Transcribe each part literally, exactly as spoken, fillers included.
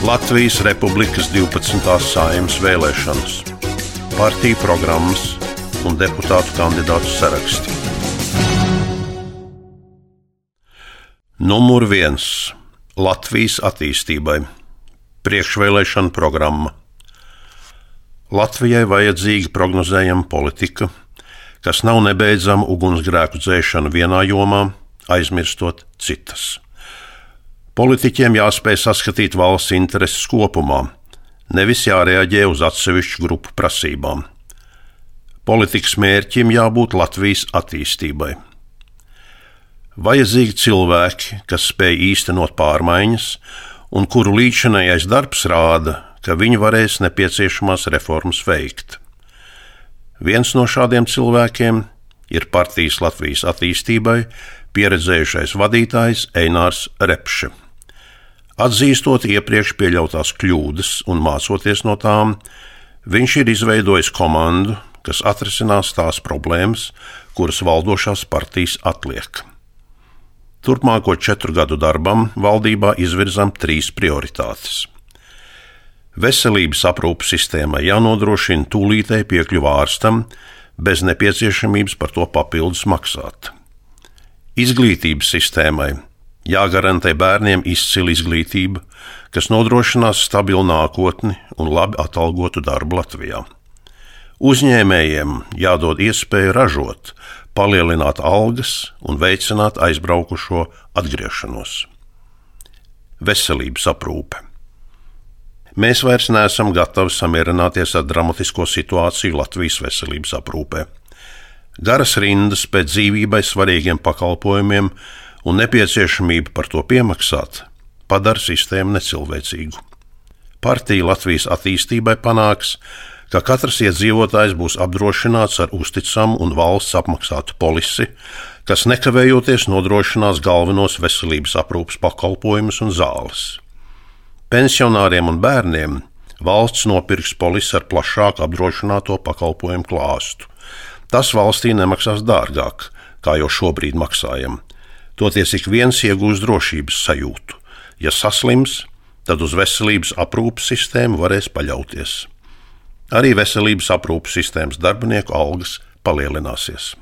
Latvijas Republikas divpadsmitās Saeimas vēlēšanas, partiju programmas un deputātu kandidātu saraksti. Numur viens – Latvijas attīstībai. Priekšvēlēšana programma. Latvijai vajadzīga prognozējama politika, kas nav nebeidzama ugunsgrēku dzēšana vienā jomā, aizmirstot citas. Politiķiem jāspēj saskatīt valsts intereses kopumā, nevis jārēģē uz atsevišķu grupu prasībām. Politikas mērķim jābūt Latvijas attīstībai. Vajadzīgi cilvēki, kas spēj īstenot pārmaiņas un kuru līdzinājais darbs rāda, ka viņi varēs nepieciešamās reformas veikt. Viens no šādiem cilvēkiem ir partijas Latvijas attīstībai pieredzējušais vadītājs Einārs Repše. Atzīstot iepriekš pieļautās kļūdas un mācoties no tām, viņš ir izveidojis komandu, kas atrisinās tās problēmas, kuras valdošās partijas atliek. Turpmāko četru gadu darbam valdībā izvirzam trīs prioritātes. Veselības aprūpes sistēmai jānodrošina tūlītēji piekļuva ārstam, bez nepieciešamības par to papildus maksāt. Izglītības sistēmai jāgarantē bērniem izcila izglītība, kas nodrošinās stabilu nākotni un labi atalgotu darbu Latvijā. Uzņēmējiem jādod iespēju ražot, palielināt algas un veicināt aizbraukušo atgriešanos. Veselības aprūpe. Mēs vairs neesam gatavi samierināties ar dramatisko situāciju Latvijas veselības aprūpē. Garas rindas pēc dzīvībai svarīgiem pakalpojumiem un nepieciešamība par to piemaksāt padara sistēmu necilvēcīgu. Partija Latvijas attīstībai panāks, ka katrs iedzīvotājs būs apdrošināts ar uzticamu un valsts apmaksātu polisi, kas nekavējoties nodrošinās galvenos veselības aprūpes pakalpojumus un zāles. Pensionāriem un bērniem valsts nopirks polisi ar plašāku apdrošināto pakalpojumu klāstu. Tas valstī nemaksās dārgāk, kā jau šobrīd maksājam. Toties ik viens iegūs drošības sajūtu. Ja saslims, tad uz veselības aprūpes sistēmu varēs paļauties. Arī veselības aprūpes sistēmas darbinieku algas palielināsies.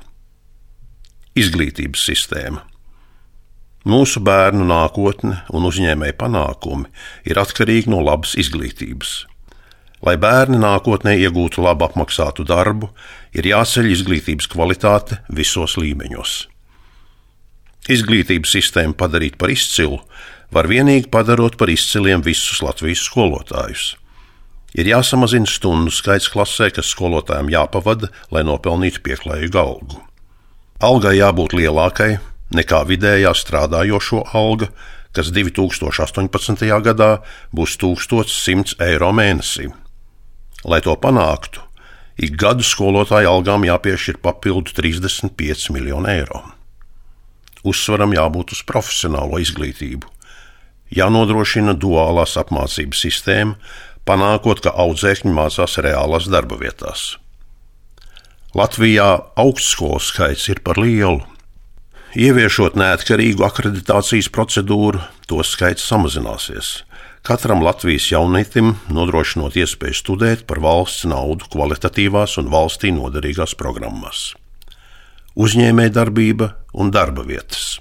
Izglītības sistēma. Mūsu bērnu nākotne un uzņēmēju panākumi ir atkarīgi no labas izglītības. Lai bērni nākotnē iegūtu labu apmaksātu darbu, ir jāceļ izglītības kvalitāte visos līmeņos. Izglītības sistēmu padarīt par izcilu var vienīgi padarot par izciliem visus Latvijas skolotājus. Ir jāsamazina stundu skaits klasē, kas skolotājiem jāpavada, lai nopelnītu pieklājīgu algu. Algai jābūt lielākai nekā vidējā strādājošo alga, kas divi tūkstoši astoņpadsmitajā gadā būs tūkstoš simts eiro mēnesī. Lai to panāktu, ik gadu skolotāju algām jāpiešķir papildu trīsdesmit pieci miljoni eiro. Uzsvaram jābūt uz profesionālo izglītību. Jānodrošina duālās apmācības sistēma, panākot, ka audzēkņi mācās reālās darba vietās. Latvijā augstskolu skaits ir par lielu. Ieviešot neatkarīgu akreditācijas procedūru, to skaits samazināsies. Katram Latvijas jaunietim nodrošinot iespēju studēt par valsts naudu kvalitatīvās un valstī noderīgās programmās. Uzņēmējdarbība un darba vietas.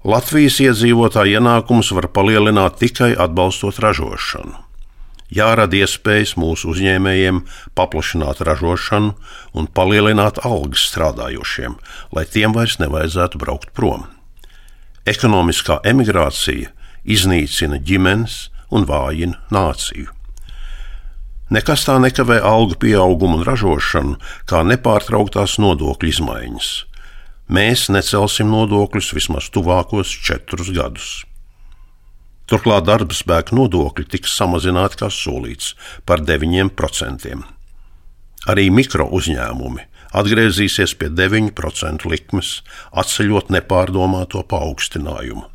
Latvijas iedzīvotāju ienākumus var palielināt tikai atbalstot ražošanu. Jārada iespējas mūsu uzņēmējiem paplašināt ražošanu un palielināt algas strādājošiem, lai tiem vairs nevajadzētu braukt prom. Ekonomiskā emigrācija iznīcina ģimenes un vājina nāciju. Nekas tā nekavē algu pieaugumu un ražošanu, kā nepārtrauktās nodokļu izmaiņas. Mēs necelsim nodokļus vismaz tuvākos četrus gadus. Turklāt darba spēka nodokļi tiks samazināti kā solīts par deviņiem procentiem. Arī mikro uzņēmumi atgriezīsies pie deviņu procentu likmes, atceļot nepārdomāto paaugstinājumu.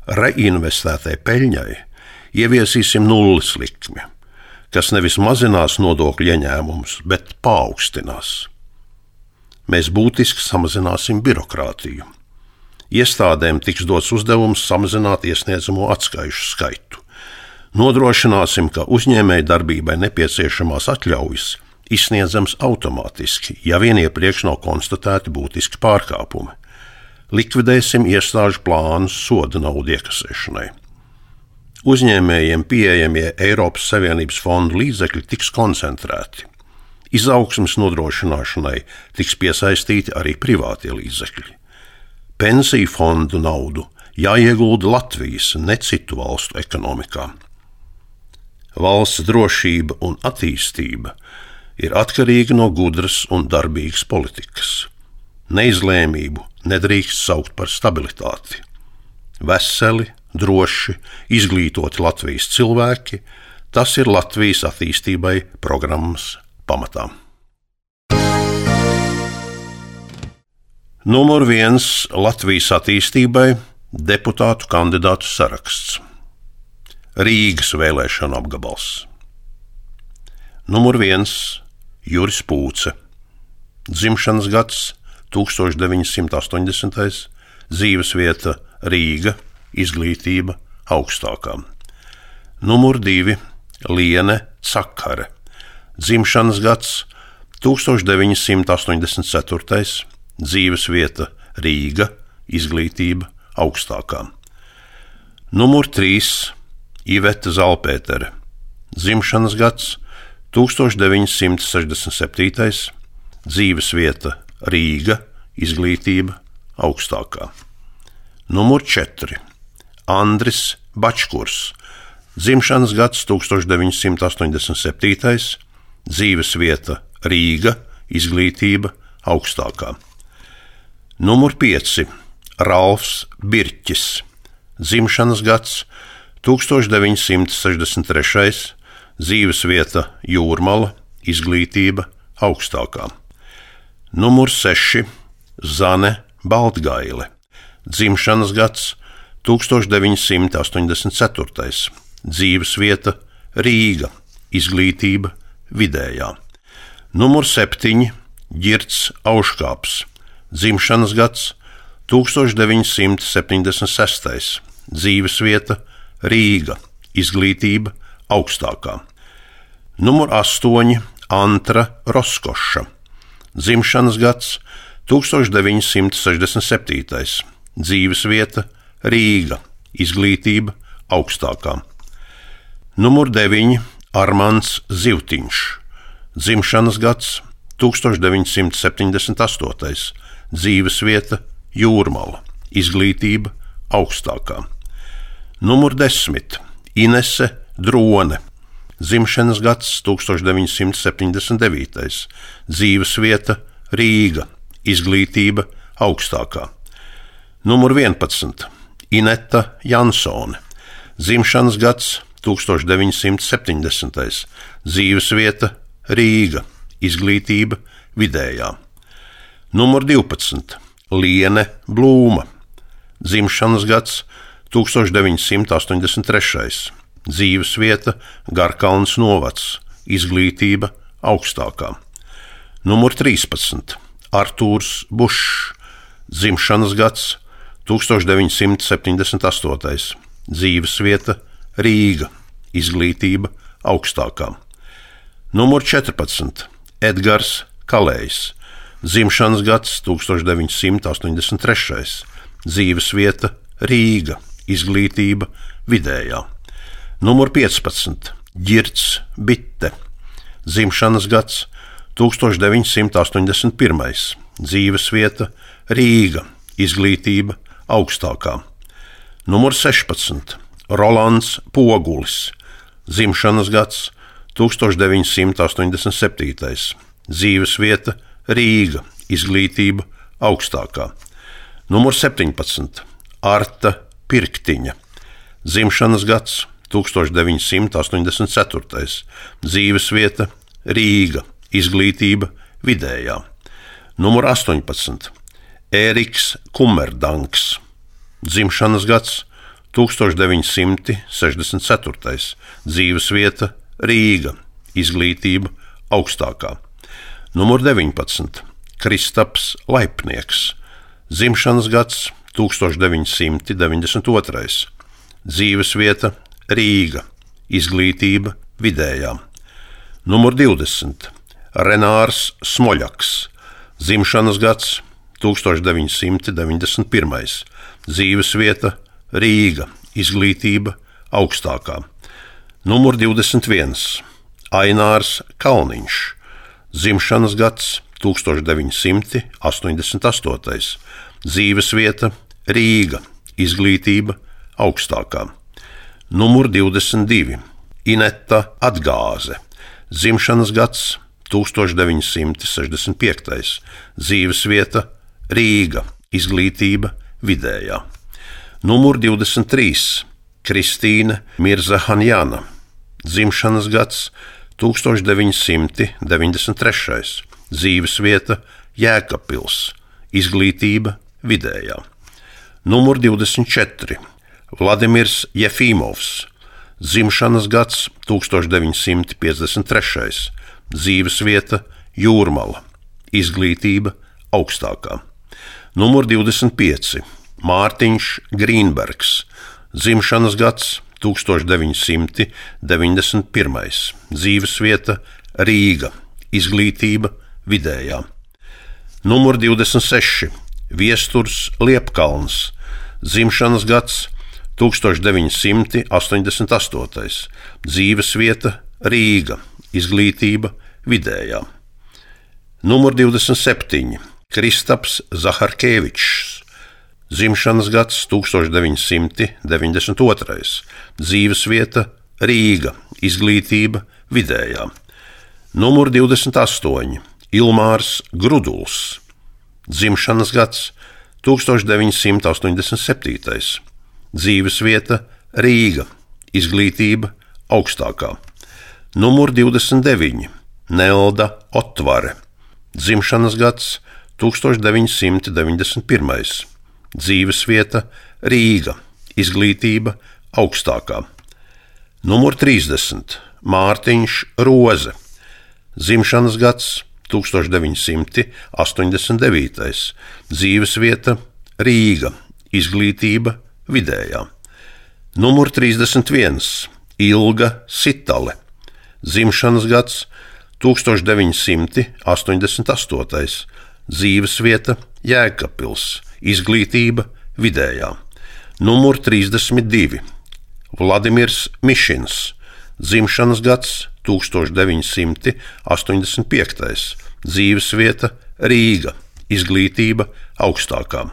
Reinvestētai peļņai ieviesīsim nulles likmi, kas nevis mazinās nodokļu ieņēmumus, bet paaugstinās. Mēs būtiski samazināsim birokrātiju. Iestādēm tiks dots uzdevums samazināt iesniedzamo atskaišu skaitu. Nodrošināsim, ka uzņēmēju darbībai nepieciešamās atļaujas izsniedzams automātiski, ja vien iepriekš nav konstatēti būtiski pārkāpumi. Likvidēsim iestāžu plānus soda naudu iekasēšanai. Uzņēmējiem pieejamie Eiropas Savienības fondu līdzekļi tiks koncentrēti. Izaugsmes nodrošināšanai tiks piesaistīti arī privātie līdzekļi. Pensiju fondu naudu jāiegulda Latvijas, ne citu valstu ekonomikā. Valsts drošība un attīstība ir atkarīga no gudras un darbīgas politikas. Neizlēmību nedrīkst saukt par stabilitāti. Veseli, droši, izglītoti Latvijas cilvēki, tas ir Latvijas attīstībai programmas pamatā. Numur viens Latvijas attīstībai deputātu kandidātu saraksts. Rīgas vēlēšana apgabals. Numur viens Juris Pūce. Dzimšanas gads tūkstoš deviņi simti astoņdesmitais, dzīvesvieta Rīga, izglītība augstākā. Numur divi Liene Cakare. Dzimšanas gads tūkstoš deviņi simti astoņdesmit ceturtais, dzīvesvieta Rīga, izglītība augstākā. Numur trīs Iveta Zalpētere. Dzimšanas gads tūkstoš deviņi simti sešdesmit septītais, dzīvesvieta Rīga, izglītība augstākā. Numur četri Andris Bačkurs. Dzimšanas gads tūkstoš deviņi simti astoņdesmit septītais, dzīvesvieta Rīga, izglītība augstākā. Numur pieci Ralfs Birķis. Dzimšanas gads tūkstoš deviņi simti sešdesmit trešais, dzīvesvieta Jūrmala, izglītība augstākā. Numur seši Zane Baltgaile. Dzimšanas gads tūkstoš deviņi simti astoņdesmit ceturtais, dzīvesvieta Rīga, izglītība vidējā. Numur septiņi Ģirds Auškāps. Dzimšanas gads tūkstoš deviņi simti septiņdesmit sestais, dzīvesvieta Rīga, izglītība augstākā. Numur astoņi Antra Roskoša. Dzimšanas gads tūkstoš deviņi simti sešdesmit septītais, dzīvesvieta Rīga, izglītība augstākā. Numur deviņi Armands Zivtiņš. Dzimšanas gads tūkstoš deviņi simti septiņdesmit astotais, dzīvesvieta Jūrmala, izglītība augstākā. Numur desmit Inese Drone. Dzimšanas gads tūkstoš deviņi simti septiņdesmit devītais, dzīvesvieta Rīga, izglītība augstākā. Numur vienpadsmit Ineta Jansone. Dzimšanas gads tūkstoš deviņi simti septiņdesmitais, dzīvesvieta Rīga, izglītība vidējā. Numur divpadsmit Liene Blūma. Dzimšanas gads tūkstoš deviņi simti astoņdesmit trešais, dzīvesvieta Garkalns novads, izglītība augstākā. Numur trīspadsmit Artūrs Bušs. Dzimšanas gads tūkstoš deviņi simti septiņdesmit astotais, dzīvesvieta Rīga, izglītība augstākā. Numur četrpadsmit Edgars Kalējs. Dzimšanas gads tūkstoš deviņi simti astoņdesmit trešais, dzīvesvieta Rīga, izglītība vidējā. Numur piecpadsmit Ģirds Bitte. Dzimšanas gads tūkstoš deviņi simti astoņdesmit pirmais, dzīvesvieta Rīga, izglītība augstākā. Numur sešpadsmit Rolands Pogulis. Dzimšanas gads tūkstoš deviņi simti astoņdesmit septītais, dzīvesvieta Rīga, izglītība augstākā. Numur septiņpadsmit Arta Pirktiņa. Dzimšanas gads tūkstoš deviņi simti astoņdesmit ceturtais, dzīvesvieta Rīga, izglītība vidējā. Numur astoņpadsmit Ēriks Kumerdanks. Dzimšanas gads tūkstoš deviņi simti sešdesmit ceturtais, dzīvesvieta Rīga, izglītība augstākā. Numur deviņpadsmit Kristaps Laipnieks. Dzimšanas gads tūkstoš deviņi simti deviņdesmit otrais, dzīvesvieta Rīga, izglītība vidējā. Numur divdesmit. Renārs Smoļaks, dzimšanas gads tūkstoš deviņi simti deviņdesmit pirmais, dzīvesvieta Rīga, izglītība augstākā. Numur divdesmit viens. Ainārs Kalniņš, dzimšanas gads tūkstoš deviņi simti astoņdesmit astotais, dzīvesvieta Rīga, izglītība augstākā. Numur divdesmit divi. Ineta Atgāze, dzimšanas gads tūkstoš deviņi simti sešdesmit piektais, dzīvesvieta Rīga, izglītība vidējā. Numur divdesmit trīs. Kristīne Mirzahanjana, dzimšanas gads tūkstoš deviņi simti deviņdesmit trešais, dzīvesvieta Jēkabpils, izglītība vidējā. Numur divdesmit četri. Vladimirs Jefīmovs, dzimšanas gads tūkstoš deviņi simti piecdesmit trešais, dzīvesvieta Jūrmala, izglītība augstākā. Numur divdesmit pieci. Mārtiņš Grīnbergs, dzimšanas gads tūkstoš deviņi simti deviņdesmit pirmais, dzīvesvieta Rīga, izglītība vidējā. Numur divdesmit seši. Viesturs Liepkalns, dzimšanas gads tūkstoš deviņi simti astoņdesmit astotais, dzīvesvieta Rīga, izglītība vidējā. Numur divdesmit septiņi. Kristaps Zaharkevičs, dzimšanas gads tūkstoš deviņi simti deviņdesmit otrais, dzīvesvieta Rīga, izglītība vidējā. Numur divdesmit astoņi. Ilmārs Gruduls, dzimšanas gads tūkstoš deviņi simti astoņdesmit septītais, dzīvesvieta Rīga, izglītība augstākā. Numur divdesmit deviņi. Nelda Otvare, dzimšanas gads tūkstoš deviņi simti deviņdesmit pirmais, dzīvesvieta Rīga, izglītība augstākā. Numur trīsdesmit. Mārtiņš Roze, dzimšanas gads tūkstoš deviņi simti astoņdesmit devītais, dzīvesvieta Rīga, izglītība vidējā. Numur trīsdesmit viens. Ilga Sitale, dzimšanas gads tūkstoš deviņi simti astoņdesmit astotais, dzīvesvieta Jēkabpils, izglītība vidējā. Numur trīsdesmit divi. Vladimirs Mišins, dzimšanas gads tūkstoš deviņi simti astoņdesmit piektais, dzīvesvieta Rīga, izglītība augstākā.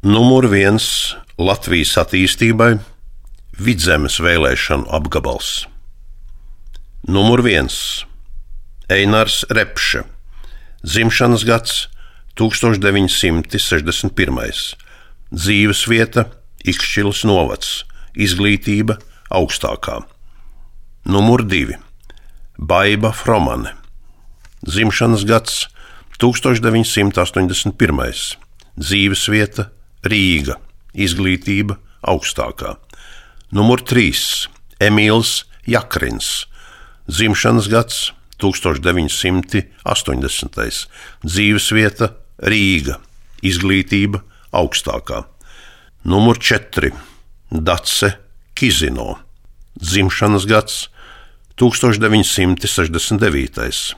Numur viens. Latvijas attīstībai Vidzemes vēlēšanu apgabals. Numur viens. Einars Repše, dzimšanas gads tūkstoš deviņi simti sešdesmit pirmais, dzīvesvieta Ikšķilas novads, izglītība augstākā. Numur divi. Baiba Fromane, dzimšanas gads tūkstoš deviņi simti astoņdesmit pirmais, dzīvesvieta Rīga, izglītība augstākā. Numur trīs. Emīls Jakrins, dzimšanas gads tūkstoš deviņi simti astoņdesmitais, dzīvesvieta Rīga, izglītība augstākā. Numur četri. Dace Kizino, dzimšanas gads tūkstoš deviņi simti sešdesmit devītais,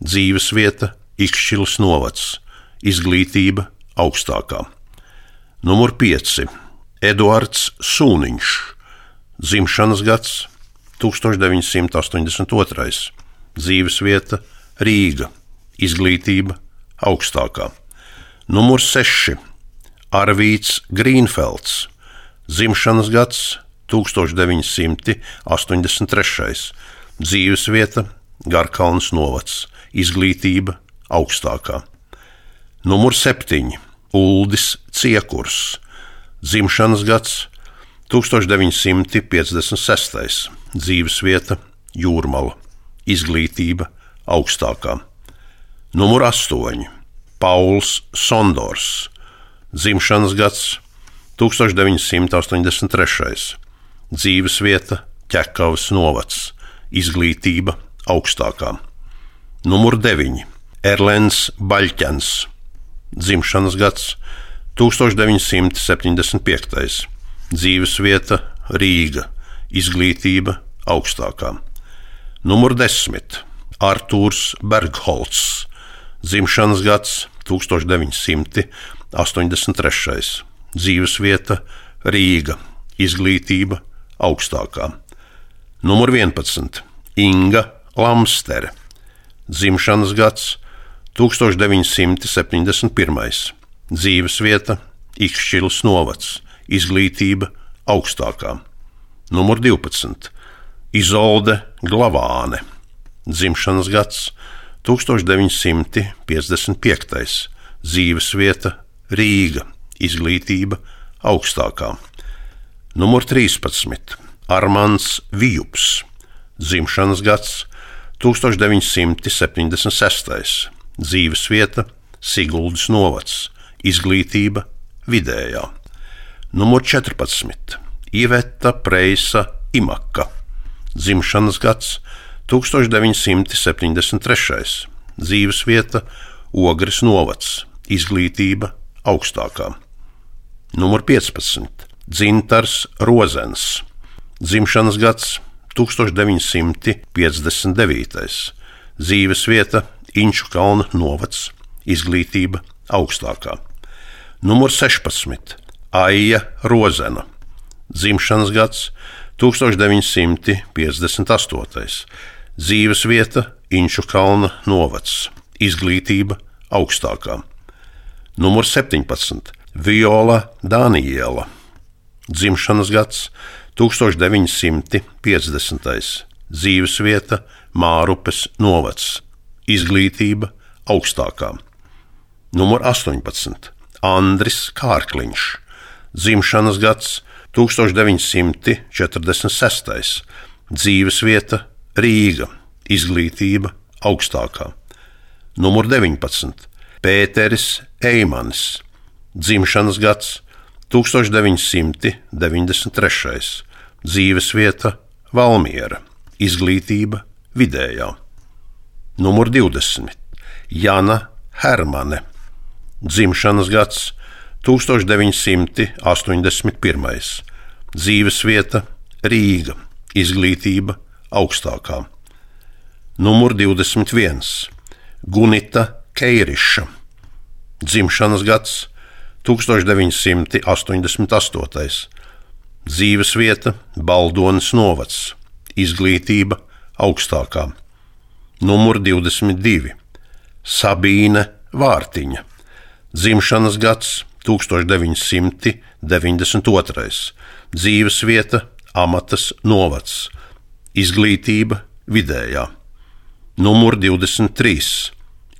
dzīvesvieta Ikšķilas novads, izglītība augstākā. Numur pieci. Eduards Sūniņš, dzimšanas gads tūkstoš deviņi simti astoņdesmit otrais, dzīvesvieta Rīga, izglītība augstākā. Numur seši. Arvīts Grīnfelds, dzimšanas gads tūkstoš deviņi simti astoņdesmit trešais, dzīvesvieta Garkalnes novads, izglītība augstākā. Numur septiņi. Uldis Ciekurs, dzimšanas gads tūkstoš deviņi simti piecdesmit sestais, dzīvesvieta Jūrmala, izglītība augstākā. Numur astoņi. Pauls Sondors, dzimšanas gads tūkstoš deviņi simti astoņdesmit trešais, dzīvesvieta Ķekavas novads, izglītība augstākā. Numur deviņi. Erlends Baļķens, dzimšanas gads tūkstoš deviņi simti septiņdesmit piektais, dzīvesvieta Rīga, izglītība augstākā. Numur desmit. Artūrs Bergholts, dzimšanas gads tūkstoš deviņi simti astoņdesmit trešais. Dzīvesvieta Rīga, izglītība augstākā. Numur vienpadsmit. Inga Lamstere, dzimšanas gads tūkstoš deviņi simti septiņdesmit pirmais. Dzīvesvieta Ikšķilas novads, izglītība augstākā. Numur divpadsmit. Izolde Glavāne, dzimšanas gads tūkstoš deviņi simti piecdesmit piektais. Dzīvesvieta Rīga, izglītība augstākā. Numur trīspadsmit. Armands Vijups, dzimšanas gads tūkstoš deviņi simti septiņdesmit sestais. Dzīvesvieta Siguldas novads, izglītība vidējā. Numur četrpadsmit. Iveta Preisa Imaka, dzimšanas gads tūkstoš deviņi simti septiņdesmit trešais. Dzīvesvieta Ogres novads, izglītība augstākā. Numur piecpadsmit. Dzintars Rozens, dzimšanas gads tūkstoš deviņi simti piecdesmit devītais. Dzīvesvieta Inču kalna novads, izglītība augstākā. Numur sešpadsmit. Aija Rozena, dzimšanas gads tūkstoš deviņi simti piecdesmit astotais. Dzīvesvieta Inču kalna novads, izglītība augstākā. Numur septiņpadsmit. Viola Daniela, dzimšanas gads tūkstoš deviņi simti piecdesmitais. Dzīvesvieta Mārupes novads, izglītība augstākā. Numur astoņpadsmit. Andris Kārkliņš, dzimšanas gads tūkstoš deviņi simti četrdesmit sestais. Dzīvesvieta Rīga, izglītība augstākā. Numur deviņpadsmit. Pēteris Eimanis, dzimšanas gads tūkstoš deviņi simti deviņdesmit trešais. Dzīvesvieta Valmiera, izglītība vidējā. Numur divdesmit. Jana Hermane, dzimšanas gads tūkstoš deviņi simti astoņdesmit pirmais. Dzīvesvieta Rīga, izglītība augstākā. Numur divdesmit viens. Gunita Keiriša, dzimšanas gads tūkstoš deviņi simti astoņdesmit astotais. Dzīvesvieta Baldonas novads, izglītība augstākā. Numur divdesmit divi. Sabīne Vārtiņa, dzimšanas gads tūkstoš deviņi simti deviņdesmit otrais. Dzīvesvieta Amatas novads, izglītība vidējā. Numur divdesmit trīs.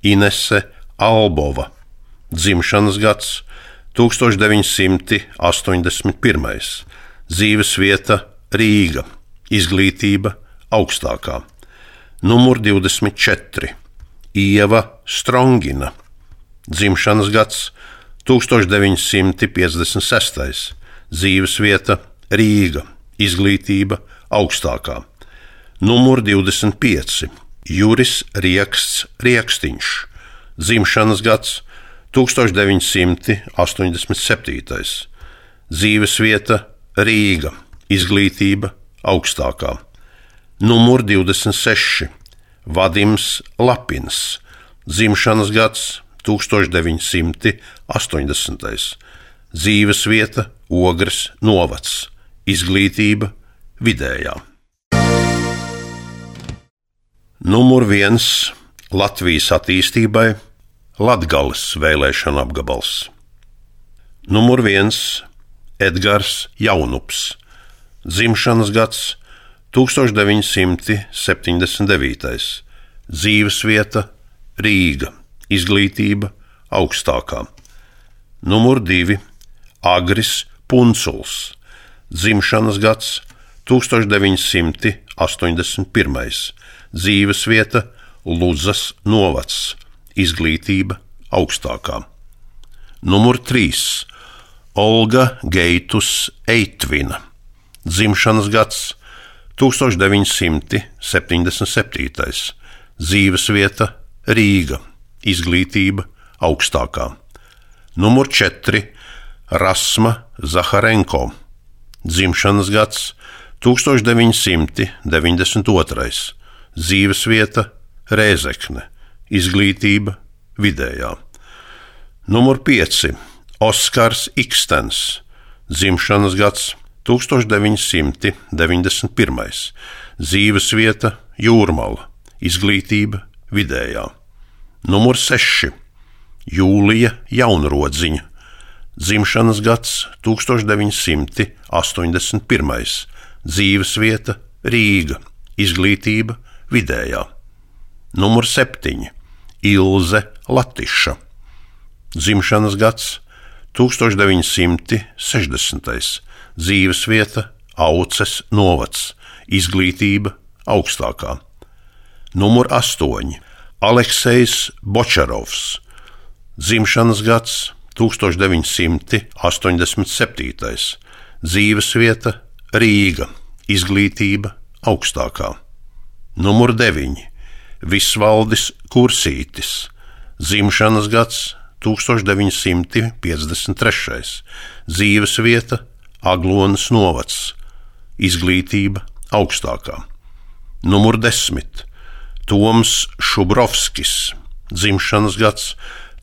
Inese Albova, dzimšanas gads tūkstoš deviņi simti astoņdesmit pirmais. Dzīvesvieta Rīga, izglītība augstākā. Numur divdesmit četri. Ieva Strongina, dzimšanas gads tūkstoš deviņi simti piecdesmit sestais. Dzīvesvieta Rīga, izglītība augstākā. Numur divdesmit pieci. Juris Rieksts Riekstiņš, dzimšanas gads tūkstoš deviņi simti astoņdesmit septītais. Dzīvesvieta Rīga, izglītība augstākā. Numur divdesmit seši. Vadims Lapins, dzimšanas gads tūkstoš deviņi simti astoņdesmitais. Dzīvesvieta Ogres novads, izglītība vidējā. Numur viens. Latvijas attīstībai Latgales vēlēšana apgabals. Numur viens. Edgars Jaunups, dzimšanas gads tūkstoš deviņi simti septiņdesmit devītais. Dzīvesvieta Rīga, izglītība augstākā. Numur divi. Agris Punculs, dzimšanas gads tūkstoš deviņi simti astoņdesmit pirmais. Dzīvesvieta Ludzas novads, izglītība augstākā. Numur trīs. Olga Geitus Eitvina, dzimšanas gads tūkstoš deviņi simti septiņdesmit septītais. Dzīvesvieta Rīga, izglītība augstākā. Numur četri. Rasma Zaharenko, dzimšanas gads tūkstoš deviņi simti deviņdesmit otrais, dzīvesvieta Rēzekne, izglītība vidējā. Numur pieci. Oskars Ikstens, dzimšanas gads tūkstoš deviņi simti deviņdesmit pirmais, dzīvesvieta Jūrmala, izglītība vidējā. Numur seši. Jūlija Jaunrodziņa, dzimšanas gads tūkstoš deviņi simti astoņdesmit pirmais, dzīvesvieta Rīga, izglītība vidējā. Numur septiņi. Ilze Latiša, dzimšanas gads tūkstoš deviņi simti sešdesmitais, dzīvesvieta Auces novads, izglītība augstākā. Numur astoņi. Aleksejs Bočarovs, dzimšanas gads tūkstoš deviņi simti astoņdesmit septītais, dzīvesvieta Rīga, izglītība augstākā. Numur deviņi. Visvaldis Kursītis, dzimšanas gads tūkstoš deviņi simti piecdesmit trešais, dzīvesvieta Aglonas novads, izglītība augstākā. Numur desmit. Toms Šubrovskis, dzimšanas gads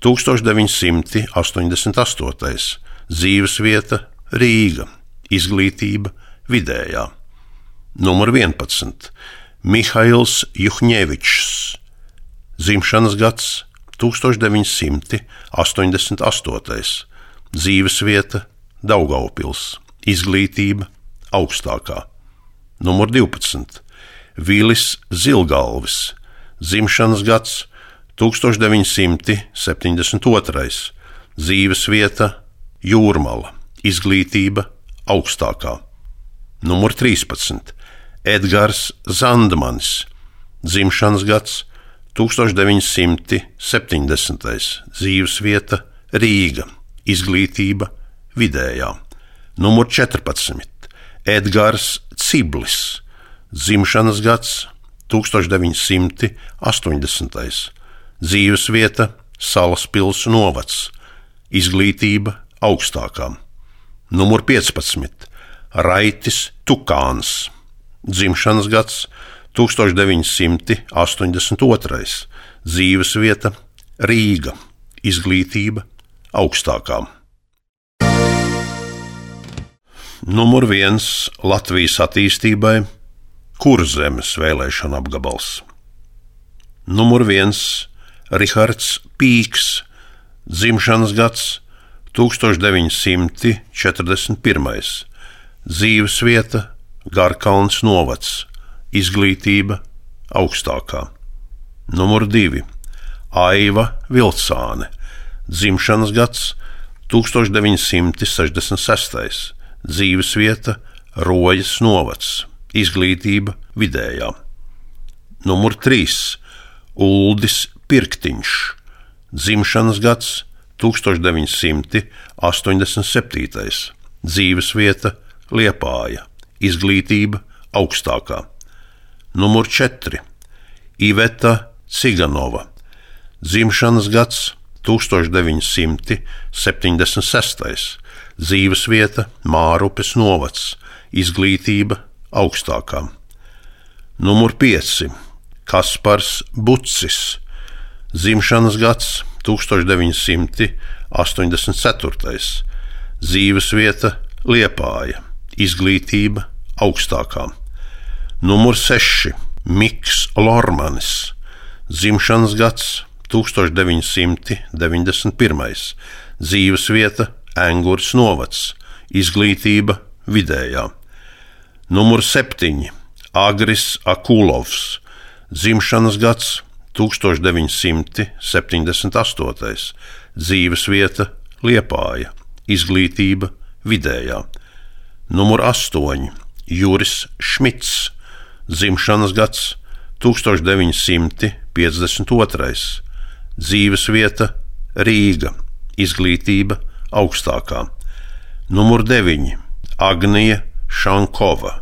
tūkstoš deviņi simti astoņdesmit astotais, dzīvesvieta Rīga, izglītība vidējā. Numur vienpadsmit. Mihails Juhņevičs, dzimšanas gads tūkstoš deviņi simti astoņdesmit astotais, dzīvesvieta Daugavpils, izglītība augstākā. Numur divpadsmit. Vilis Zilgalvis, dzimšanas gads tūkstoš deviņi simti septiņdesmit otrais, dzīvesvieta Jūrmala, izglītība augstākā. Numur trīspadsmit. Edgars Zandmanis, dzimšanas gads tūkstoš deviņi simti septiņdesmitais, dzīvesvieta Rīga, izglītība vidējā. Numur četrpadsmit. Edgars Ciblis, dzimšanas gads tūkstoš deviņi simti astoņdesmitais, dzīvesvieta Salaspils novads, izglītība augstākā. Numur piecpadsmit. Raitis Tukāns, dzimšanas gads tūkstoš deviņi simti astoņdesmit otrais, dzīvesvieta Rīga, izglītība augstākā. Numur viens Latvijas attīstībai Kurzemes vēlēšana apgabals. Numur viens Rihards Pīks, dzimšanas gads tūkstoš deviņi simti četrdesmit pirmais, dzīvesvieta Garkalns novads, izglītība augstākā. Numur divi. Aiva Vilcāne, dzimšanas gads tūkstoš deviņi simti sešdesmit sestais, dzīvesvieta Rojas novads, izglītība vidējā. Numur trīs. Uldis Pirktiņš, dzimšanas gads tūkstoš deviņi simti astoņdesmit septītais, dzīvesvieta Liepāja, izglītība augstākā. Numur četri. Iveta Ciganova, dzimšanas gads tūkstoš deviņi simti septiņdesmit sestais, dzīvesvieta Mārupes novads, izglītība augstākā. Numur pieci. Kaspars Bucis, dzimšanas gads tūkstoš deviņi simti astoņdesmit ceturtais, dzīvesvieta Liepāja, izglītība augstākā. Numur seši. Miks Lormanis, dzimšanas gads tūkstoš deviņi simti deviņdesmit pirmais, dzīvesvieta Engurs novads, izglītība vidējā. Numur septiņi. Agris Akulovs, dzimšanas gads tūkstoš deviņi simti septiņdesmit astotais, dzīvesvieta Liepāja, izglītība vidējā. Numur astoņi. Juris Šmits, dzimšanas gads tūkstoš deviņi simti piecdesmit otrais, dzīvesvieta Rīga, izglītība augstākā. Numur deviņi. Agnija Šankova,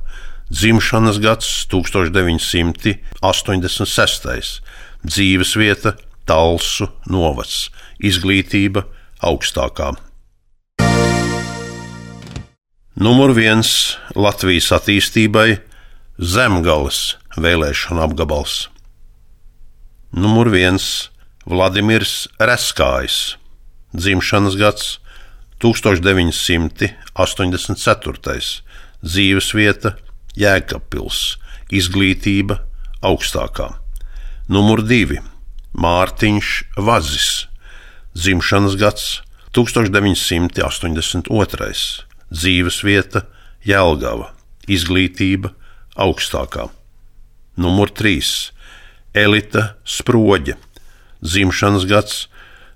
dzimšanas gads tūkstoš deviņi simti astoņdesmit sestais, dzīvesvieta Talsu novads, izglītība augstākā. Numur viens Latvijas attīstībai Zemgales vēlēšana apgabals. Numur viens Vladimirs Reskājs, dzimšanas gads tūkstoš deviņi simti astoņdesmit ceturtais, dzīvesvieta Jēkabpils, izglītība augstākā. Numur divi Mārtiņš Vazis, dzimšanas gads tūkstoš deviņi simti astoņdesmit otrais, dzīvesvieta Jelgava, izglītība augstākā. Numur trīs Elita Sproģe, dzimšanas gads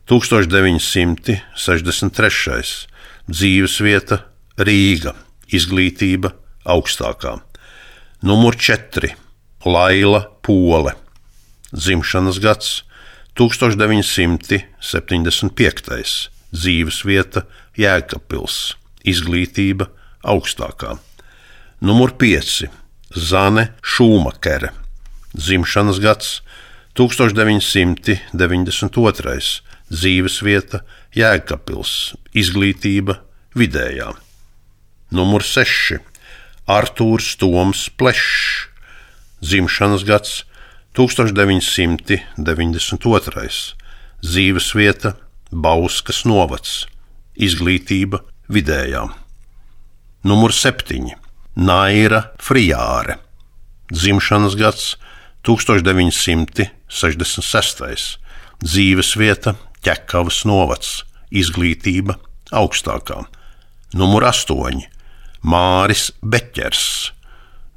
tūkstoš deviņi simti sešdesmit trešais, dzīvesvieta Rīga, izglītība augstākā. Numur četri Laila Pole, dzimšanas gads tūkstoš deviņi simti septiņdesmit piektais, dzīvesvieta Jēkabpils, izglītība augstākā. Numur pieci Zane Šūmakere, dzimšanas gads tūkstoš deviņi simti deviņdesmit otrais, dzīvesvieta Jēkabpils, izglītība vidējā. Numur seši Artūrs Toms Plešs, dzimšanas gads tūkstoš deviņi simti deviņdesmit otrais, dzīvesvieta Bauskas novads, izglītība vidējā. Numur septiņi Naira Frijāre, dzimšanas gads tūkstoš deviņi simti sešdesmit sestais, dzīvesvieta Ķekavas novads, izglītība augstākā. Numur astoņi Māris Beķers,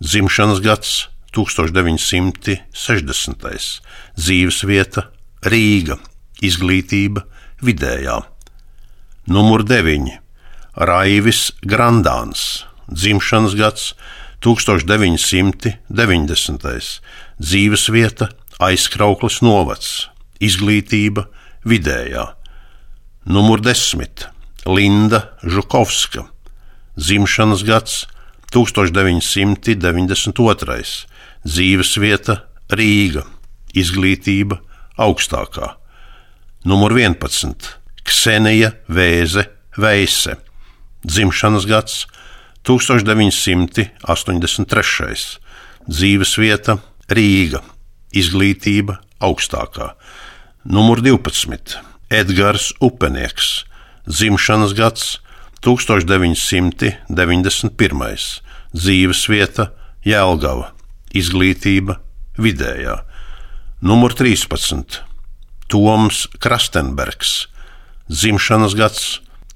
dzimšanas gads tūkstoš deviņi simti sešdesmitais, dzīvesvieta Rīga, izglītība vidējā. Numur deviņi Raivis Grandāns, dzimšanas gads tūkstoš deviņi simti deviņdesmitais, dzīvesvieta Aizkraukles novads, izglītība vidējā. Numur desmit Linda Žukovska, dzimšanas gads tūkstoš deviņi simti deviņdesmit otrais, dzīvesvieta Rīga, izglītība augstākā. Numur vienpadsmit Ksenija Vēze Veise, dzimšanas gads tūkstoš deviņi simti astoņdesmit trešais, dzīvesvieta Rīga, izglītība augstākā. Numur divpadsmit Edgars Upenieks, dzimšanas gads tūkstoš deviņi simti deviņdesmit pirmais, dzīvesvieta Jelgava, izglītība vidējā. Numur trīspadsmit Toms Krastenbergs, dzimšanas gads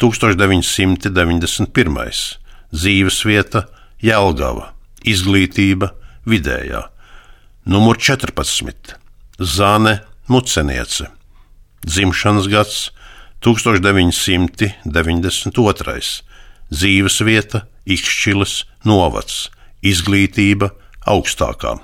tūkstoš deviņi simti deviņdesmit pirmais, dzīvesvieta Jelgava, izglītība vidējā. Numur četrpadsmit Zane Muceniece, dzimšanas gads tūkstoš deviņi simti deviņdesmit otrais, dzīvesvieta Ikšķiles novads, izglītība augstākā.